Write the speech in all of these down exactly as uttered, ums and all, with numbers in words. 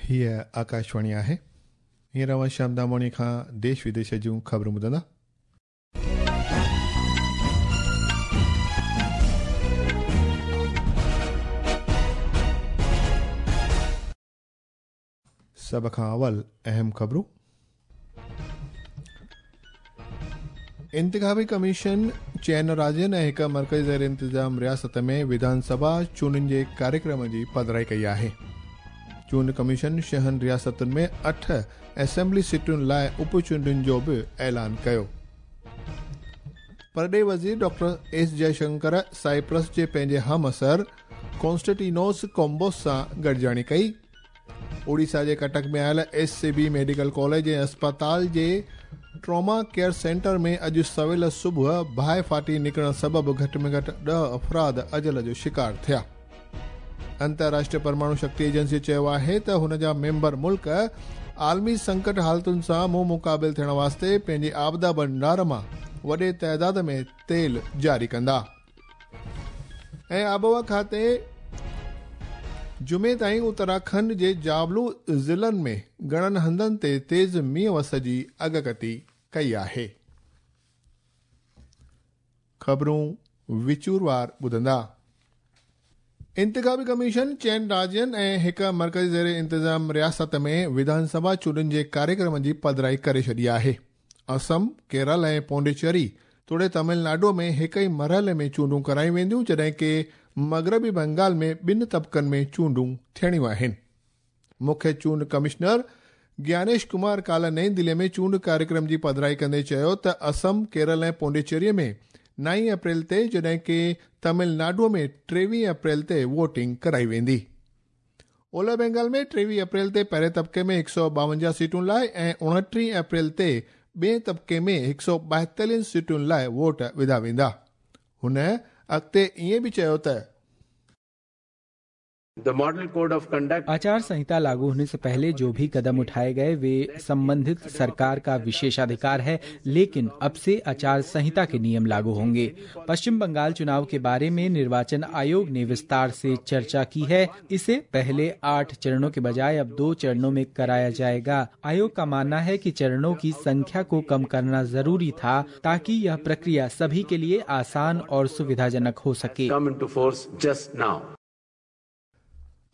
हीअ आकाशवाणी आहे। हींअर अव्हां श्याम दामोणी खां देश विदेश जूं ख़बरूं ॿुधंदा। सभ खां अवल अहम ख़बरूं। इंतिखाबी कमीशन चइनि राज्यनि ऐं हिकु मर्कज़ी ज़ेर इंतिज़ाम रियासत में विधानसभा चूंडनि जे कार्यक्रम जी पधराई कई आहे। चूंड कमीशन छहनि रियासतुनि में अठ असेंबली सीटुनि लाइ उप चूंडुनि जो बि ऐलान कयो। परॾेही वज़ीर डॉक्टर एस जयशंकर साइप्रस जे पंहिंजे हमअसर कॉन्स्टेंटिनोस कॉम्बोस सां गॾिजाणी कई। ओडिशा जे कटक में आयल S C B medical college ऐं अस्पताल जे ट्रॉमा केयर सेंटर में अॼु सवेल सुबुह बाहि फाटी निकिरण सबबु घटि में घटि ॾह अफ़राद अजल जो शिकार थिया। अंतर्राष्ट्रीय परमाणु शक्ति एजेंसी चयो आहे त हुन जा मेंबर मुल्क आलमी संकट हालतुनि सां मुंहुं मुक़ाबिल थियण वास्ते पंहिंजी आबदा भंडार मां वॾे तादाद में तेल जारी कंदा। ऐं आबहवा खाते जुमे ताईं उत्तराखंड जे जाबलू ज़िलनि में घणनि हंधनि ते तेज़ मींहुं वस जी अगकथी कई आहे। ख़बरूं विचूरवार ॿुधंदा। इंतिखाबी कमीशन चइनि राज्यनि ऐं हिकु मर्कज़ी ज़ेर इंतिज़ाम रियासत में विधानसभा चूंडुनि जे कार्यक्रम जी पधराई करे छॾी आहे। असम, केरल ऐं पौंडीचेरी तोड़े तमिलनाडु में हिकु ई मरहले में चूंडूं करायूं वेंदियूं, जॾहिं की मग़रबी बंगाल में ॿिनि तबक़नि में चूंडूं थियणियूं आहिनि। मुख्य चूंड कमिश्नर ज्ञानेश कुमार काल्ह नई दिल्ली में चूंड कार्यक्रम जी पधराई कंदे चयो त असम, केरल ऐं पौंडीचेरी में नाई अप्रैल ते, जॾहिं की तमिलनाडु में टेवीह अप्रैल ते वोटिंग कराई वेंदी। ओलह बंगाल में टेवीह अप्रैल ते पहिरें तबक़े में हिकु सौ ॿावंजाह सीटुनि लाइ ऐं उणिटीह अप्रैल ते ॿिए तबक़े में हिकु सौ ॿाएतालीह सीटुनि लाइ वोट विधा वेंदा। हुन अॻिते ईअं बि चयो त The model code of conduct आचार संहिता लागू होने से पहले जो भी कदम उठाए गए वे संबंधित सरकार का विशेषाधिकार है, लेकिन अब से आचार संहिता के नियम लागू होंगे। पश्चिम बंगाल चुनाव के बारे में निर्वाचन आयोग ने विस्तार से चर्चा की है। इसे पहले आठ चरणों के बजाय अब दो चरणों में कराया जाएगा। आयोग का मानना है कि चरणों की संख्या को कम करना जरूरी था ताकि यह प्रक्रिया सभी के लिए आसान और सुविधाजनक हो सके।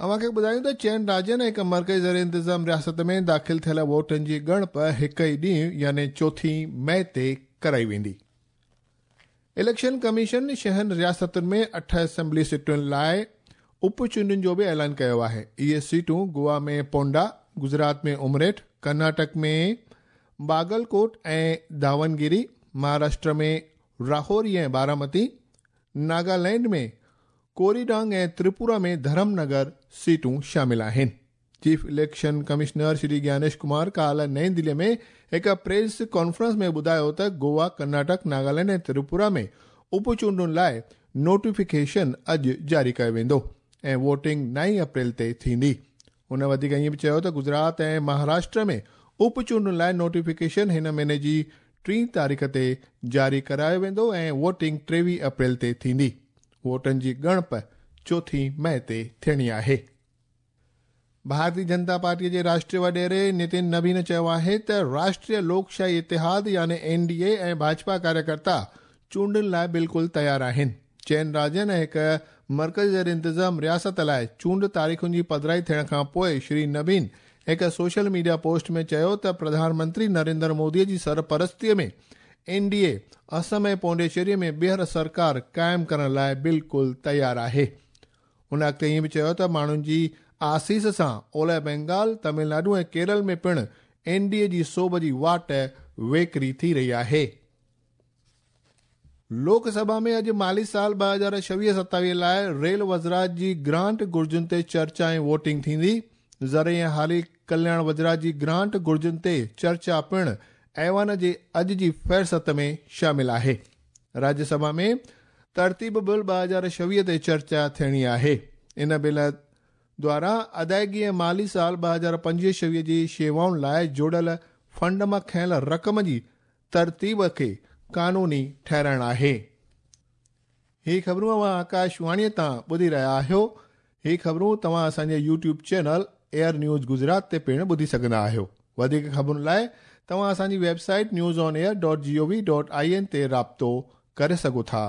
अव्हांखे ॿुधायूं त चइनि राज्यनि ऐं हिकु मर्कज़ी ज़ेर इंतिज़ाम रियासत में दाख़िल थियल वोटनि जी ॻणप हिकु ई ॾींहुं यानी चोथीं मई ते कराई वेंदी। इलेक्शन कमीशन छहनि रियासतुनि में अठ असेंबली सीटुनि लाइ उप चूंडुनि जो बि ऐलान कयो आहे। इहे सीटूं गोवा में पोंडा, गुजरात में उमरेठ, कर्नाटक में बागलकोट ऐं दावनगिरी, महाराष्ट्र में राहोरी ऐं बारामती, नागालैंड में कोरीडांग ऐं त्रिपुरा में धर्मनगर सीटूं शामिल आहिनि। Chief election commissioner Shri Gyanesh Kumar काल्ह नई दिल्ली में हिकु प्रेस कॉन्फ्रेंस में ॿुधायो त गोवा, कर्नाटक, नागालैंड ऐं त्रिपुरा में उप चूंडुनि लाइ नोटिफिकेशन अॼु जारी कयो वेंदो ऐं वोटिंग नाई अप्रैल ते थींदी। हुन वधीक ईअं बि चयो त गुजरात ऐं महाराष्ट्र में उप चूंडुनि लाइ नोटिफिकेशन हिन महीने जी टीं तारीख़ ते जारी करायो वेंदो ऐं वोटिंग टेवीह अप्रैल ते थींदी। वोटनि जी ॻणप चोथीं मई ते थियणी आहे। भारतीय जनता पार्टी जे राष्ट्रीय वॾेरे नितिन नबीन चयो आहे त राष्ट्रीय लोकशाही इतिहाद यानी एन डी ए ऐं भाजपा कार्यकर्ता चूंडुनि लाइ बिल्कुलु तयारु आहिनि। चइनि राज्यनि ऐं हिकु मर्कज़ी ज़ेर इंतिज़ाम रियासत लाइ चूंड तारीख़ुनि जी पधराई थियण खां पोइ श्री नबीन हिकु सोशल मीडिया पोस्ट में चयो त प्रधानमंत्री नरेंद्र मोदीअ जी सरपरस्तीअ में एन डी ए असम ऐं पौंडीचेरी में ॿीहर सरकार क़ाइमु करण लाइ बिल्कुलु तयारु आहे। हुन अॻिते ईअं बि चयो त माण्हुनि जी आसीस सां ओलह बंगाल, तमिलनाडु ऐं केरल में पिणु एन डी ए जी सोभ जी वाट वेकरी थी रही आहे। लोकसभा में अॼु माली साल ॿ हज़ार छवीह सतावीह लाइ रेल वज़रात जी ग्रांट घुर्जुनि ते चर्चा ऐं वोटिंग थींदी। ज़रई ऐं हाली कल्याण वज़रात जी ग्रांट घुर्जुनि ते चर्चा पिणु ऐवान जे अॼु जी फ़हरिस्त में शामिल आहे। राज्यसभा में तरतीब बिल ॿ हज़ार छवीह ते चर्चा थियणी आहे। इन बिल द्वारा अदायगी ऐं माली साल ॿ हज़ार पंजवीह छवीह जी शेवाउनि लाइ जोड़ियल फंड मां खयल रक़म जी तरतीब खे कानूनी ठहिराइण आहे। ही ख़बरूं अव्हां आकाशवाणीअ तां ॿुधी रहिया आहियो। ही ख़बरूं तव्हां असांजे YouTube channel air news Gujarat ते पिणु ॿुधी सघंदा आहियो। वधीक ख़बरुनि लाइ तव्हां असांजी website news on air dot G O V dot I N ते राब्तो करे सघो था।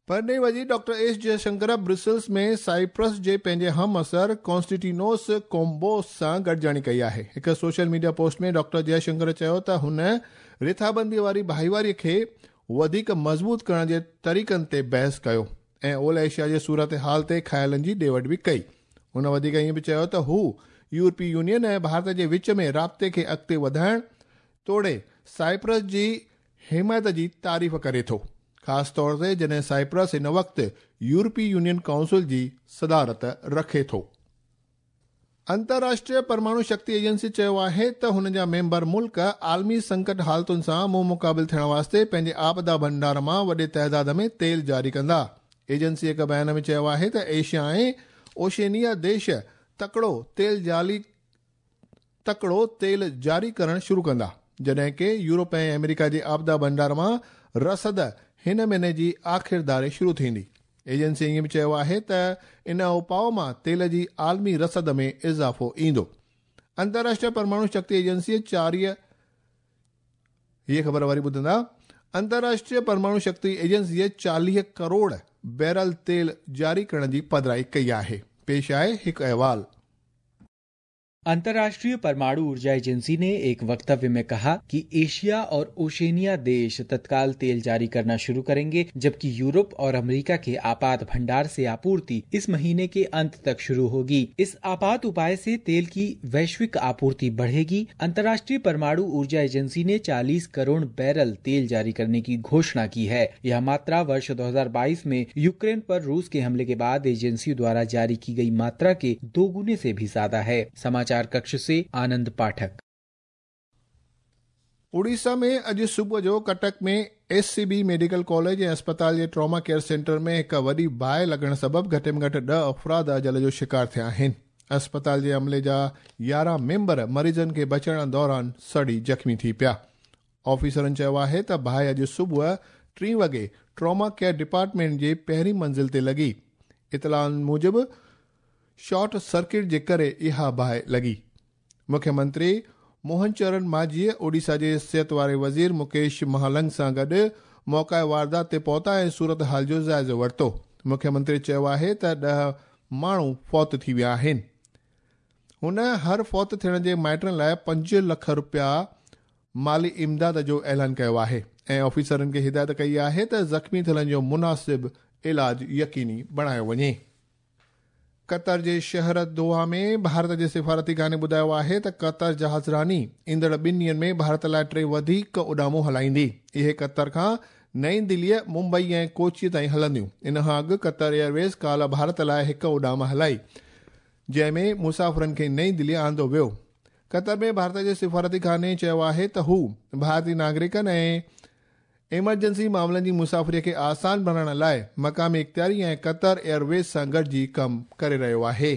परॾेही वज़ीर डॉक्टर एस जयशंकर ब्रसेल्स में साइप्रस जे पंहिंजे हम असर कॉन्स्टेंटिनोस कोम्बोस सां गॾिजाणी कई आहे। हिकु social media post में डॉक्टर जयशंकर चयो त हुन रिथाबंदी वारी भाईवारीअ खे वधीक मज़बूत करण जे तरीक़नि ते बहस कयो ऐं ओलह एशिया जे सूरत हाल ते ख़्यालनि जी ॾे वठ बि कई। हुन वधीक ईअं बि चयो त हू यूरोपीय यूनियन ऐं भारत जे विच में राब्ते खे अॻिते वधाइण तोड़े साइप्रस जी हिमायत जी तारीफ़ करे थो, ख़ासि तौर ते जॾहिं साइप्रस हिन वक़्तु यूरोपीय यूनियन काउंसिल जी सदारत रखे थो। अंतर्राष्ट्रीय परमाणु शक्ति एजेंसी चयो आहे त हुन जा मेंबर मुल्क आलमी संकट हालतुनि सां मुंहुं मुक़ाबिल थियण वास्ते पंहिंजे आपदा भंडार मां वॾे तादाद में तेल जारी कंदा। एजेंसी हिकु बयान में चयो आहे त एशिया ऐं ओशेनिया देश तकड़ो तेल जारी तकड़ो तेल जारी करणु शुरू कंदा, जॾहिं की यूरोप ऐं अमेरिका जे आपदा भंडार मां रसद हिन महीने जी आख़िर धारे शुरू थींदी। एजेंसी ईअं बि चयो आहे त इन उपाउ मां तेल जी आलमी रसद में इज़ाफ़ो ईंदो। अंतर्राष्ट्रीय परमाणु शक्ति एजेंसी चालीह हीअ ख़बर वरी ॿुधंदा। अंतर्राष्ट्रीय परमाणु शक्ति एजेंसीअ चालीह करोड़ बैरल तेल जारी करण जी पधराई कई आहे। पेश आहे हिकु अहवाल। अंतर्राष्ट्रीय परमाणु ऊर्जा एजेंसी ने एक वक्तव्य में कहा कि एशिया और ओशेनिया देश तत्काल तेल जारी करना शुरू करेंगे, जबकि यूरोप और अमेरिका के आपात भंडार से आपूर्ति इस महीने के अंत तक शुरू होगी। इस आपात उपाय से तेल की वैश्विक आपूर्ति बढ़ेगी। अंतर्राष्ट्रीय परमाणु ऊर्जा एजेंसी ने चालीस करोड़ बैरल तेल जारी करने की घोषणा की है। यह मात्रा वर्ष दो हजार बाईस में यूक्रेन पर रूस के हमले के बाद एजेंसी द्वारा जारी की गई मात्रा के दोगुने से भी ज्यादा है। समाचार कक्ष से आनंद पाठक। उड़ीसा में अॼु सुबुह जो कटक में S C B medical college ऐं अस्पताल जे ट्रॉमा केयर सेंटर में हिकु वॾी बाहि लॻण सबबि घटि में घटि ॾह अफ़राद अजल जो शिकार थिया आहिनि। अस्पताल जे अमले जा यारहं मेंबर मरीज़नि खे बचाइण दौरान सड़ी ज़ख़्मी थी पिया। ऑफिसरनि चयो आहे त बाहि अॼु सुबुह टी वॻे ट्रॉमा केयर डिपार्टमेंट जे पहिरीं मंज़िल ते लॻी। इतलाउनि मूजिबि शॉर्ट सर्किट जे करे इहा बाहि लॻी। मुख्यमंत्री मोहन चरण माझीअ ओडिशा जे सिहत वारे वज़ीर मुकेश महालंग सां गॾु मौक़ा वारदात ते पहुता ऐं सूरत हाल जो जाइज़ो वरितो। मुख्यमंत्री चयो आहे त ॾह माण्हू फौत थी विया आहिनि। हुन हर फौत थियण जे माइटनि लाइ पंज लख रुपया माली इमदाद जो ऐलान कयो आहे ऐं ऑफिसरनि खे हिदायत कई आहे त ज़ख़्मी थियलनि जो मुनासिब इलाज यकीनी बणायो वञे। कतर जे शहर दोहा में भारत जे सिफारती खाने ॿुधायो आहे त कतर जहाज़रानी ईंदड़ ॿिनि ॾींहंनि में भारत लाइ टे वधीक उॾामूं हलाईंदी। इहे कतर खां नई दिल्लीअ, मुंबई ऐं कोची ताईं हलंदियूं। इन खां अॻु कतर एयरवेज़ काल्ह भारत लाइ हिकु उॾाम हलाई, जंहिंमें मुसाफ़िरनि खे नई दिल्ली आंदो वियो। कतर में भारत जे सिफारती खाने चयो आहे त हू भारतीय नागरिकनि ऐं इमरजेंसी मामलनि जी मुसाफ़िरीअ खे आसान बणाइण लाइ मक़ामी इख़्तियारी ऐं कतर एयरवेज़ सां गॾिजी कमु करे रहियो आहे।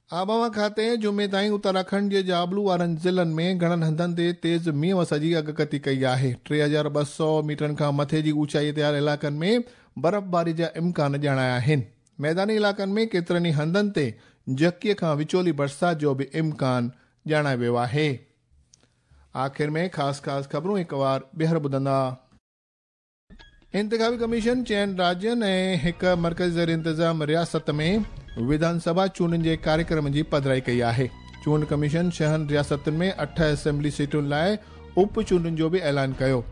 आबहवा खाते जुमे ताईं उत्तराखंड जे जाबलू वारनि ज़िलनि में घणनि हंधनि ते तेज़ मींहुं वस जी अॻकथी कई आहे। टे हज़ार ॿ सौ मीटरनि खां मथे जी ऊंचाई ते वारे इलाइक़नि में बर्फ़बारी जा इम्कान ॼाणाया आहिनि। मैदानी इलाइक़नि में केतिरनि ई हंधनि ते झकीअ खां विचोली बरसाति जो बि इम्कान ॼाणायो वियो आहे। आख़िर में ख़ासि ख़ासि ख़बरूं हिकु वार ॿीहर ॿुधंदा। इंतिख़ाबी कमीशन चइनि राज्यनि ऐं हिकु मर्कज़ी ज़ेर इंतज़ाम रियासत में विधानसभा चूंडनि जे कार्यक्रम जी पधराई कई आहे। चूंड कमीशन छहनि रियासतुनि में अठ असेंबली सीटुनि लाइ उप चूंडुनि जो बि ऐलान कयो।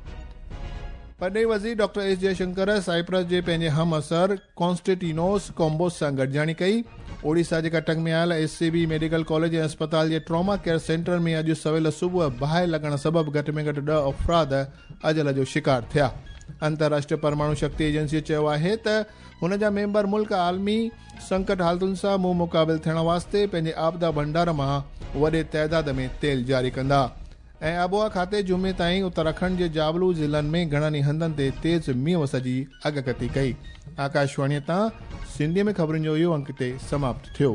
परॾेही वज़ीर डॉक्टर एस जयशंकर साइप्रस जे पंहिंजे हम असर कॉन्स्टेंटिनोस कॉम्बोस सां गॾिजाणी कई। ओडिशा जे कटक में आयल S C B medical college ऐं अस्पताल जे ट्रॉमा केयर सेंटर में अॼु सवेल सुबुह बाहि लॻण सबबि घटि में घटि ॾह अफ़राद अजल जो शिकार थिया। अंतर्राष्ट्रीय परमाणु शक्ति एजेंसीअ चयो आहे त हुन जा मेंबर मुल्क आलमी संकट हालतुनि सां मुंहुं मुक़ाबिल थियण वास्ते पंहिंजे आपदा भंडार मां वॾे तादाद में तेल जारी कंदा। ऐं आबहवा खाते जुमे ताईं उत्तराखंड जे जाबलू ज़िलनि में घणनि ई हंधनि ते तेज़ मींहुं वस जी अॻकथी कई। आकाशवाणीअ तां सिंधीअ में ख़बरुनि जो इहो अंक ते समाप्त थियो।